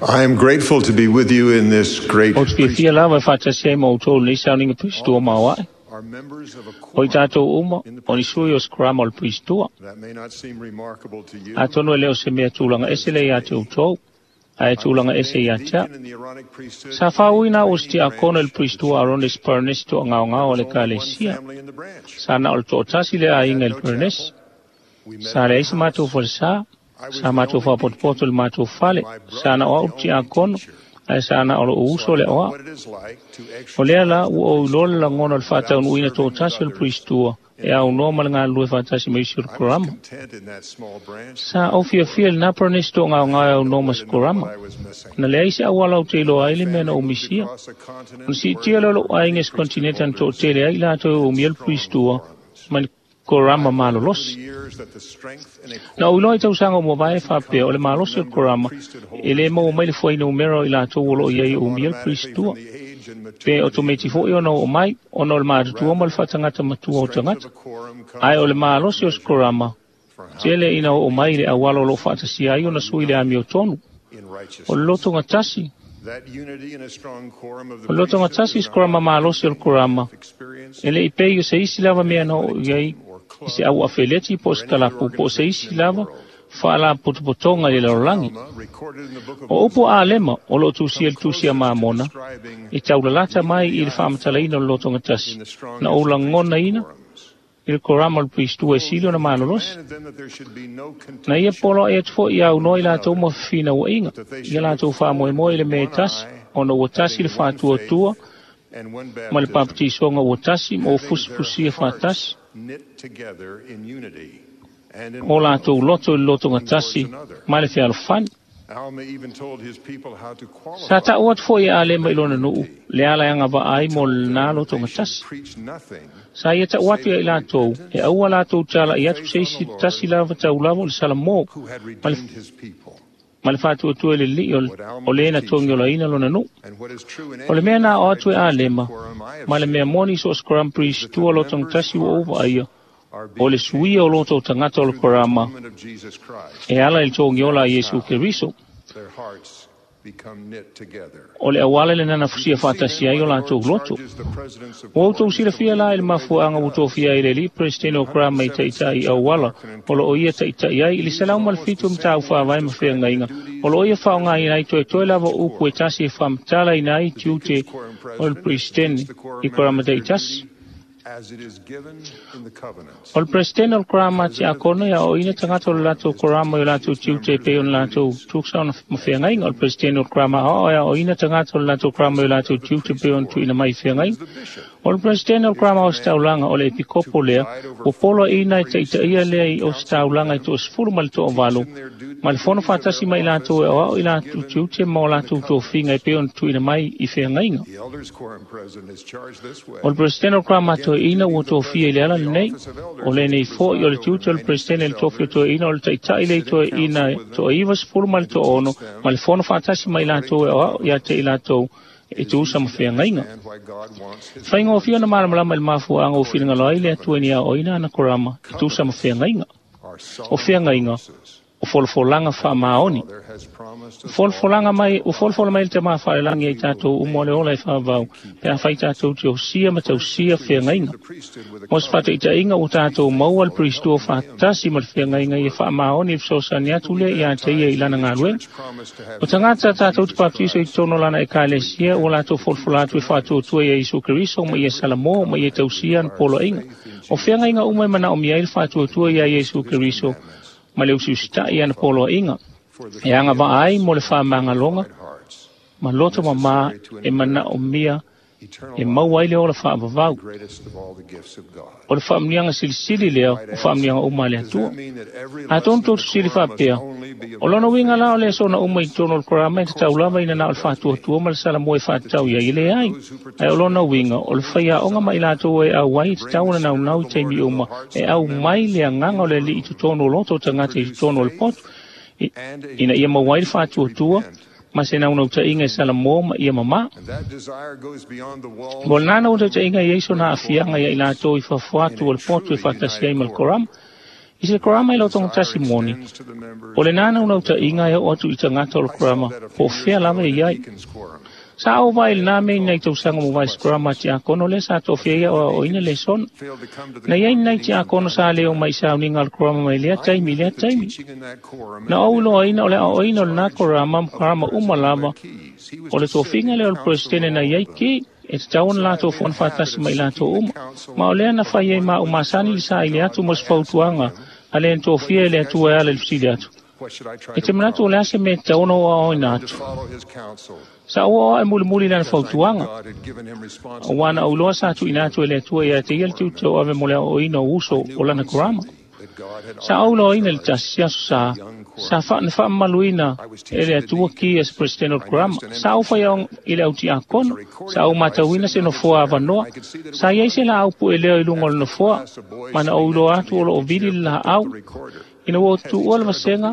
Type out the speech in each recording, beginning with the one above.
I am grateful to be with you in this great Ou te fiafia lava e faatasi ai ma outou i lenei sauniga Pusitua maoae. Are members of a O i tatou uma, in the o ni sui o se korama o le Pusitua. That may not seem remarkable to you. Atonu e le o se mea tulaga ese lea ia te outou, ae tulaga ese ia te au. In the Aaronic priesthood, Sa faauuina au o se tiakono i le Pusitua Aronis Parnesi toagaogao a le Ekalesia. family in the branch. Sa na o le toatasi le aiga i le Parnesi. We met Sa leai se matou falesa, sa matou faapotopoto i le matou fale, sa na o au le tiakono, ae sa na o lou uso le aoao. what it is like to O lea la ua ou iloa le lagona o le faataunuuina toatasi o le Pusitua e aunoa ma le galulue faatasi ma isi o le korama. content in that small branch. Sa ou fiafia i lena Parnesi toagaogao e aunoa ma se korama. I was missing. Na leai se auala ou te iloa ai le mea na ou misia. Across a continent Ona siitia lea o lou aiga i se kontineta na toatele ai i latou e umia le Pusitua ma le korama malolosi. years that the strength and Na ou iloa i tausaga o mavae faapea o le malosi o le korama e lē maua mai le fuainumera o i latou o loo i ai e umia le Pusitua. the age and maturity Pe otometi foi ona oo mai, ona o le matutua ma le faatagata matua o tagata. quorum comes Ae o le malosi o se korama, tele ina oo mai i le auala o loo faatasia ai ona sui le amiotonu. in righteousness. O le lotogatasi, That unity and a strong quorum of the o le lotogatasi se korama malosi o le korama, experience e le i pei o se isi lava mea na oo i ai i se au afeleti po o se kalapu po o se isi lava faalapotopotoga i le lalolagi. recorded in the book of O upu a Alema o loo tusia i le tusi a Mamona, e taulalata mai i le faamatalaina o le lotogatasi, na ou lagonaina i le korama o le Puisitua e sili ona malolosi. commanded them that there should be no contention, Na ia poloai atu foi ia aunoa i latou ma fefinauaiga, ia latou faamoemoe i le mea e tasi, ona ua tasi le faatuatua and one ma le baptism, papatisoga ua tasi ma ua having their fusifusia faatasi, hearts knit together in unity and in o latou loto i le lotogatasi ma le fealofani. Alma even told his people how to Sa qualify. taʻu atu foi e Alema i lona nuu, le ala e agavaa ai mo lenā lotogatasi. Preach nothing Sa ia taʻu atu ia i latou, e aua latou talaʻi atu se isi tasi lava taulava o le Salamo, who had ma le, redeemed his people. ma le faatuatua i le liliʻi o le- o lē na togiolaina lona nuu. And what is true in O le any mea na o atu e unified Alema, quorum I have ma le mea moni so o se Koram Puisitua lotogatasi ua ou vaaia, are o le being suia o loto o tagata o le through the korama, atonement of Jesus Christ. e ala i le togiola a Iesu Keriso. Their hearts become knit together. O le auala le nana fusia faatasi ai o latou loto. Charges the presidents of Ua outou silafia la i le mafuaaga ua tofia ai le alii Peresetene o Korama i taʻitaʻi auala o loo ia taʻitaʻi ai i le 107 mataupu faavae ma feagaiga o loo ia faaaogāina ai toetoe lava o upu e tasi e faamatalaina ai tiute o le Peresetene i Korama taʻitasi. as it is given in the covenants. O le Peresetene o le Korama tiakono ia aoaoina tagata o le latou korama i o latou tiute e pei ona latou tusa ona ma feagaiga. O le Peresetene o le Korama aoao e aoaoina tagata o le latou korama i o latou tiute e pei ona tuuina mai i feagaiga. O le Peresetene o le Korama Ositaulaga o le Epikopo lea, ua poloaiina e taʻitaʻia lea i Ositaulaga i toasefulu ma le toavalu, ma le fono faatasi ma i latou e aoao i latou tiute ma o latou tofiga e pei ona tuuina mai i feagaiga. The elders quorum president is charged this way. O le Peresetene o le Korama toeaina ua tofia i le ala lenei, o lenei foi o le tiute o le Peresetene i le tofi o toeaina o le taʻitaʻi lea i toeaina toaivasefulu ma le toaono, ma le fono faatasi ma i latou e aoao ia te i latou e tusa ma feagaiga. And why God wants his Faigofie ona malamalama i le mafuaaga ua finagalo ai le Atua i ni aoaoina ana korama e tusa ma feagaiga. our O solemn feagaiga, promises. o folafolaga faamaoni. Father has promised us Folafolaga mai, ua folafola mai le tamā faalelagi ai tatou uma o le ola e faavavau, pe afai tatou te osia ma tausia feagaiga. the priesthood with a Mo se faataʻitaʻiga ua tatou maua le Puisitua faatasi ma le feagaiga ia faamaoni i le fesoasoani atu lea ia te ia i lana galuega. promise to have O tagata tatou te papatiso i totonu o lana ekalesia ua latou folafola atu e faatuatua ia Iesu Keriso ma ia Salamo ma ia tausia ana poloaiga. O feagaiga uma e manaomia ai le faatuatua ia Iesu Keriso ma le usiusitaʻi ana poloaiga. E agavaa ai mo le faamagaloga hearts, ma loto mamā e manaomia eternal e maua ai le ola faavavau. greatest of all the gifts of God. O le faamuniaga silisili lea o faamuniaga uma a le Does Atua. that mean that every Atonu lesson tou of the tusili quorum must faapea, only be o lona uiga la o le aso ona uma i totonu o le korama e tatau lava ina na o le faatuatua ma le salamo e faatatau i ai e leai. Ae o lona uiga, o le faiaoga ma i latou e auai e tatau ona naunau i taimi uma, e aumai le agaga o le alii i totonu o loto o tagata i totonu o le poto, and a ina ia maua ai le faatuatua ma se naunautaiga e salamo ma ia mamā. And that desire goes beyond the walls Mo lena naunautaiga i ai sona aafiaga ia i latou i fafo atu o le poto e faatasi ai ma le korama. I se korama i lau togotasi moni, o le nana unautaiga e oo atu i tagata o le korama po o fea lava e i ai. Sa ou vaai i lenā mea i nai tausaga mo vae se korama tiakono lea sa tofia ai aoaoina lesona. Na i ai ni nai tiakono sa le omai i sauniga a le korama mai lea taimi i lea taimi. Na ou iloaina o le aoaoina o lenā korama ma korama uma lava o le tofiga lea o le peresetene na i ai ki e tatau ona latou fono faatasi ma i latou uma. Ma o lea na fai ai ma au masani le saili atu mo se fautuaga a le na tofia e le Atua e ala i le fesili atu. E te manatu o le a se mea e tatau ona ou aoaoina atu? Sa ou aoao mulimuli i lana fautuaga, auā na ou iloa sa tuuina atu e le Atua ia te ia le tiute tauave mo le aoaoina o uso o lana korama. Sa ou iloaina i le tasi se aso sa sa na faamamaluina e le Atua ki a se Peresetene o le Korama. Sa ou faiaoga i le au tiakono, sa ou matauina se nofoa avanoa. Sa i ai se laau pueleo i luga o le nofoa, ma na ou iloa atu o loo vili le laau. Ina ua ou tuua le vasega,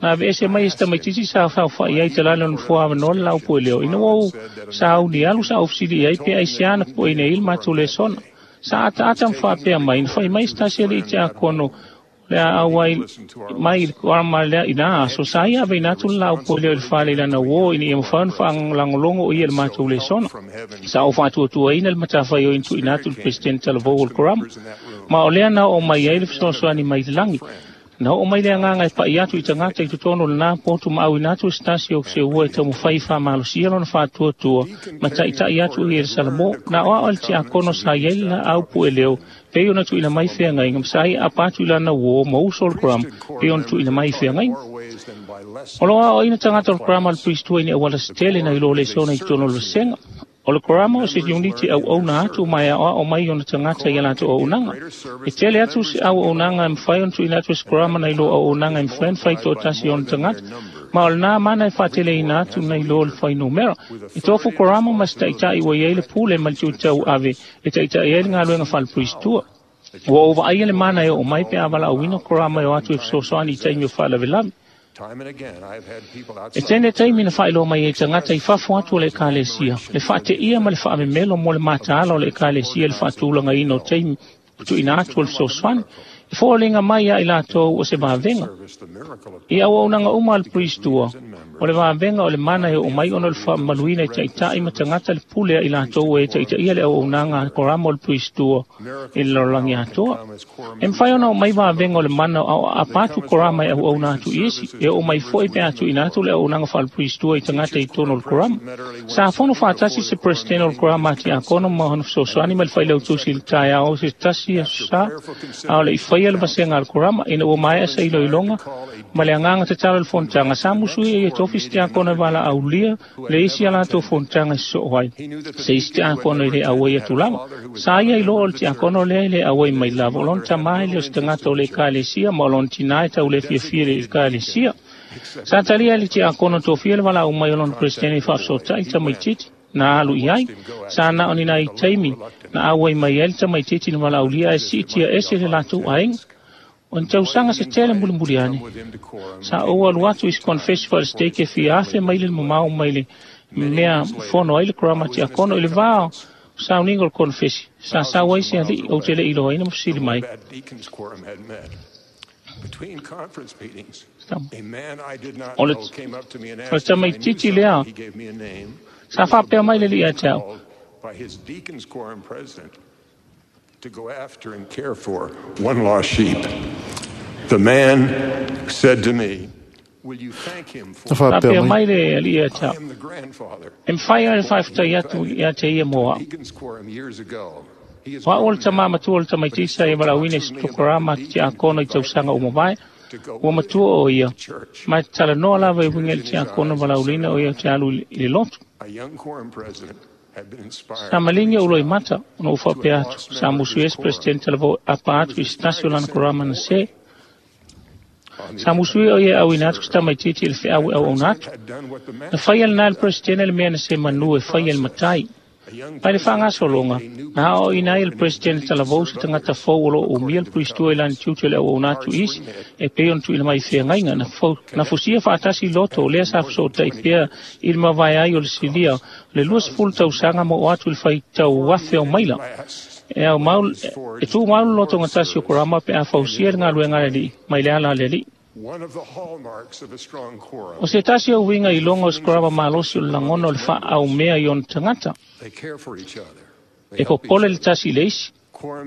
na aveese mai e se tamaitiiti sa saofai ai i talane o le nofoa avanoa le laau pueleo. Ina ua ou sauni alu, sa ou fesili i ai pe aisea na pueina ai le matou lesona. Sa ataata ma faapea mai, na fai mai se tasi alii tiakono le a auai mai i le korama lea i na aso, sa ia aveina atu le laau pueleo i le fale i lana uō ina ia mafai ona faalagologo o ia i le matou lesona. Sa ou faatuatuaina le matafaioi na tuuina atu i le Peresetene talavou o le korama. Ma o lea na oo mai ai le fesoasoani mai le lagi. Na oo mai le agaga e pa'i atu i tagata i totonu o lenā potu ma auina atu e se tasi o se ua e taumafai e faamalosia lona faatuatua ma taita'i atu ia i le Salamo. Na aoao e le tiakono sa i ai le laau pueleo pei ona tuuina mai feagaiga ma sa ia aapa atu i lana uō ma uso o le korama pei ona tuuina mai feagaiga. O loo aoaoina tagata o le korama a le Puristua i ni auala se tele nai lo lesona i totonu o le vasega. O le korama o se uniti auauna atu ma e aoao mai ona tagata i a latou auaunaga. E tele atu se auaunaga e mafai ona tuuina atu e se korama nai lo auaunaga e mafai ona fai toatasi e ona tagata, ma o lenā mana e faateleina atu nai lo le fuainumera. E tofu korama ma se taita'i ua i ai le pule ma le tiute tauave e taita'i ai le galuega faale-Puristua. Ua ou vaaia le mana e oo mai pe a valaauina korama e o atu e fesoasoani i taimi o faalavelave. E tele taimi na faailoa mai ai tagata i fafo atu o le Ekalesia, le faateia ma le faamemelo mo le mataala o le Ekalesia i le faatulagaina o taimi ua tuuina atu o le fesoasoani. E foliga mai ia i latou o se vavega. I auaunaga uma a le Puristua, o le vavega o le mana e oo mai ona o le faamamaluina e taita'i ma tagata le pule a i latou e taitaia le auaunaga a korama o le Puristua i le lalolagi atoa. E mafai ona oo mai vavega o le mana o aapa atu korama e auauna atu i isi, e oo mai foi pe a tuuina atu le auaunaga faale-Puristua i tagata i totonu o le korama. Sa fono faatasi se Peresetene o le korama a tiakono ma ona fesoasoani ma le failautusi i le taeao o se tasi aso sa, a o le i faia le vasega a le korama, ina ua maea se iloiloga ma le agaga tatalo i le fonotaga. Sa musuia ia tofi se tiakono e valaaulia le isi a latou fonotaga e sosoo ai. Se isi tiakono e le auai atu lava. Sa ia iloa o le tiakono lea e le auai mai lava, o lona tamā e le o se tagata o le Ekalesia ma o lona tinā e tau le fiafia i le Ekalesia. Sa talia e le tiakono tofia le valaau mai o lona Peresetene e faafesootai i le tamaitiiti na alu i ai. Sa na o ni nai taimi na auai mai ai le tamaitiiti na valaaulia ae siitia ese le latou aiga. O ni tausaga se tele mulimuli ane, sa ou alu atu i se konefesi faale-stake e fia afe maile le mamao mai le mea fono ai le korama tiakono i le va o sauniga o le konefesi. Sa sau ai se alii ou te le i iloaina ma fesili mai. O le tamaitiiti lea sa faapea mai le alii ia te au. To go after and care for one lost sheep. The man said to me, Will you thank him for Na faapea Faapea mai. mai le alii ia te I au, am the grandfather. E mafai ona faafetai atu ia te ia mo au. Deacon's quorum years ago. He is O au o le grown tamā now, matua o le but he tamaitiiti sa still ia valaauina talks i with se me about tokorama the ki deacon tiakono i tausaga ua mavae, to go ua with matua him o ia, to church. ma e talanoa lava e uiga i Tears le in his tiakono eyes and valaauina said, o ia te alu i le lotu. A young quorum president had been inspired Sa to maligi reach ou out loimata ona ou to a faapea atu, lost sa member of musu his ai se quorum. Peresetene talavou e apa He atu was i se tasi inspired o to lana send a korama na boy se. on the Sa other musu ai o hand ia to auina atu se serve. tamaitiiti i le feau That e auauna president atu. had done what the Na master faia had lenā e le done, Peresetene le mea na se and in manu the e faia e le process, matai. a young Mai le president faagasologa, trained a new na priest aoaoina ai e in le his Peresetene duty to talavou se serve tagata others fou o loo umia according le to the Puristua i lana covenants. tiute o le auauna atu Hearts isi, were knit, e pei ona tuuina mai i feagaiga. Na, fo, na fusia faatasi loto o lea sa after more than fesootai 20 pea years i le mavae ai o le silia across le 20 thousands of tausaga ma miles. oo atu i le faitau Before afe o the maila. end lasts, E au mau, e tu mau le lotogatasi o korama pe a fausia le galuega a le alii mai le ala a le alii. O se tasi o uiga iloga o se korama malosi o le lagona o le faaaumea i ona tagata. E popole le tasi i le isi,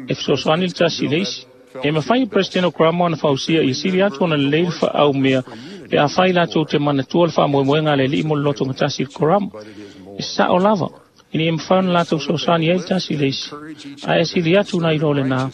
e fesoasoani le tasi i le isi. E mafai e Peresetene o Korama ona fausia ia sili atu ona lelei le faaaumea pe afai latou te manatua le faamoemoega a le Alii mo le lotogatasi i le Korama. E sao lava, ina ia mafai ona latou fesoasoani ai le tasi i le isi, ae sili atu nai lo lena,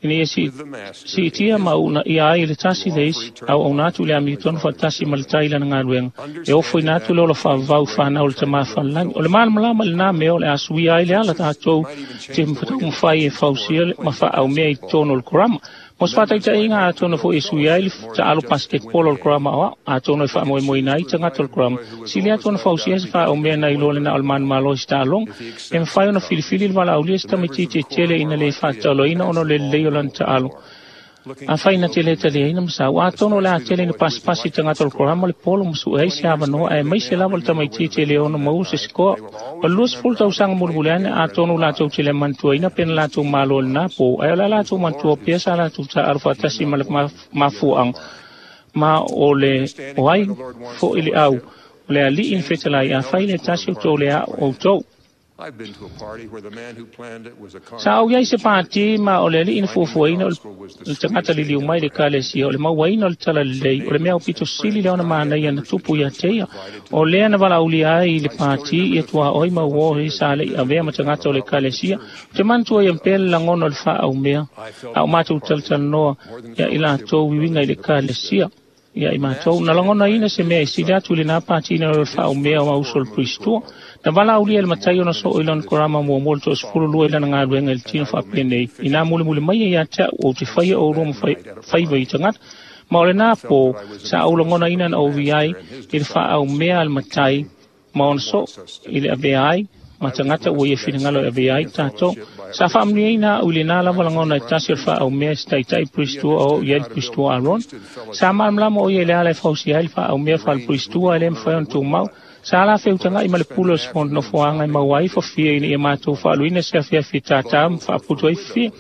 ina ia siitia ma uunaia ai le tasi i le isi, auauna atu i le amiotonu faatasi ma le tai i lana galuega, e ofoina atu le ola faavavau i fanau o le Tama Falelagi. O le malamalama i lena mea o le a suia ai le ala tatou te taumafai e fausia ma faaaumea i totonu o le Korama. Mo se faataitaiga, atonu foi e suia ai le taalo basketball o le Korama aoao, atonu e faamoemoeina ai tagata o le Korama, sili atu ona fausia se faaumea nai loa lena o le manumalo i se taaloga. E mafai ona filifili le valaaulia se tamaitiiti e tele ina le faataoloina ona o le lelei o lana taalo. Afai na te le taliaina ma sau, atonu o le a tele ina pasipasi tagata o le Korama le polo ma sue ai se avanoa aemaise lava le tamaitiiti e le ono maua se sikoa. O le 20 tausaga mulimuli ane, atonu latou te le manatuaina pe na latou malo i lena po, ae o le a latou manatua pea sa latou taaalo faatasi ma le mafuaaga ma o le o ai foi le au o le alii na fetalai, afai le tasi o tou le a'o outou. Sa ou i ai se pātī ma o le alii na fuafuaina o le tagata liliu mai i le ekalesia, o le mauaina o le talalelei, o le mea aupito sili lea ona manaia na tupu ia te ia. O lea na valaaulia ai i le pātī ia tuaoi ma uō he sa le i avea ma tagata o le ekalesia. Ou te manatua ia pea le lagona o le faaumea a o matou talatalanoa ia i latou uiga i le ekalesia. Ia i matou, na lagonaina se mea e sili atu i lena pātī nai lo le faaumea o uso o le Puristua. Na valaaulia e le matai ona soo i lona korama muamua le toasefulu lua i lana galuega i le tino faapenei, inā mulimuli mai ia ia te a'u ou te faia oulua ma faiva i tagata. Ma o lena pō, sa ou lagonaina na ou i ai i le faaumea a le matai ma ona soo i le avea ai ma tagata ua ia finagalo e avea ai tatou. Sa faamanuiaina a'u i lena lava lagona e tasi o le faaumea e se taitai Puristua o oo i ai le Puristua Aarona. Sa malamalama o ia i le ala e fausia ai le faaumea faale-Puristua e le mafai ona tumau. Sa ala feutaga'i ma le pule o se nofoaga e maua ai fafia ina ia matou faaluina se afiafi tātā ma faaputu ai fafia.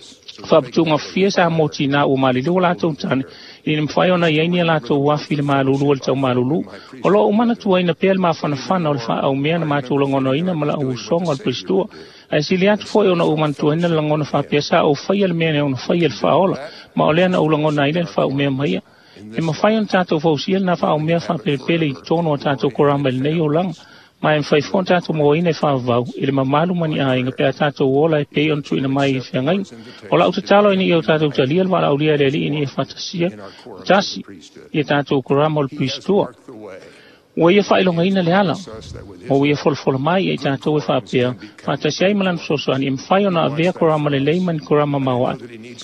Faaputuga fafia sa mo tinā ua maliliu o latou tane, ina mafai ona i ai ni a latou afi i le malulu o le taumalulu. O lo o ou manatuaina pea le mafanafana o le faaaumea na matou lagonaina ma la'u usoga o le Puristua. Ae sili atu foi ona ou manatuaina le lagona faapea sa ou faia le mea e ono faia le faaola, ma o lea na ou lagona ai le faaumea mai ia. E mafai ona tatou fausia lena faaumea faapelepele i totonu o tatou korama i lenei olaga, ma e mafai foi ona tatou mauaina e faavavau i le mamalu ma ni aiga pe a tatou ola e pei ona tuuina mai i feagaiga. O la'u tatalo ina ia o tatou talia le valaaulia e le Alii ina ia faatasia tasi ia tatou korama o le Puristua. Ua ia faailogaina le ala, ma ua ia folafola mai ia i tatou e faapea, faatasi ai ma lana fesoasoani, e mafai ona avea korama lelei ma ni korama maoae.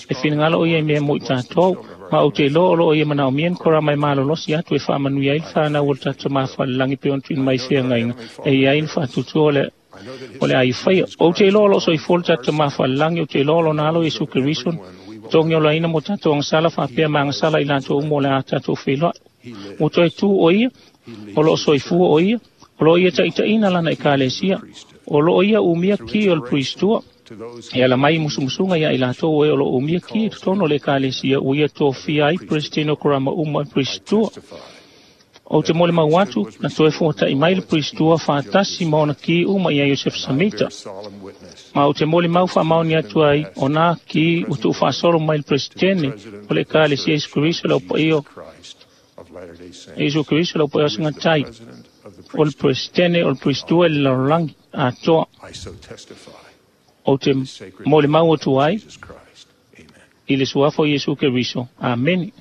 E finagalo o ia i mea mo i tatou, ma ou te iloa o lo o ia manaomia ni korama e malolosi atu e faamanuia ai le fanau o le tatou Tama falelagi pei ona tuuina mai i feagaiga e i ai le faatuatua o le o le a ia faia. Ou te iloa o lo o soifua le tatou Tama falelagi, ou te iloa o lona alo Iesu Keriso, togi olaina mo tatou agasala faapea ma agasala i latou uma o le a tatou feiloai. Ua toe tu o ia, o lo o soifua o ia, o lo o ia taitaiina lana ekalesia, o lo o ia umia ki o le Puristua, e ala mai i musumusuga ia i latou o e o lo o umia ki i totonu o le ekalesia ua ia tofia ai Peresetene o Korama uma e Puristua. Ou te molimau atu, na toe fuata'i mai le Puristua faatasi ma ona ki uma ia Iosefo Samita. Ma ou te molimau faamaoni atu ai, o nā ki ua tuufaasolo mai le Peresetene o le Ekalesia Iesu Keriso le Aupaia o Iesu Keriso le Aupaia o Sagatai, o le Peresetene o le Puristua i le lalolagi atoa. Ou te molimau atu ai i le suafa o Iesu Keriso. Amene.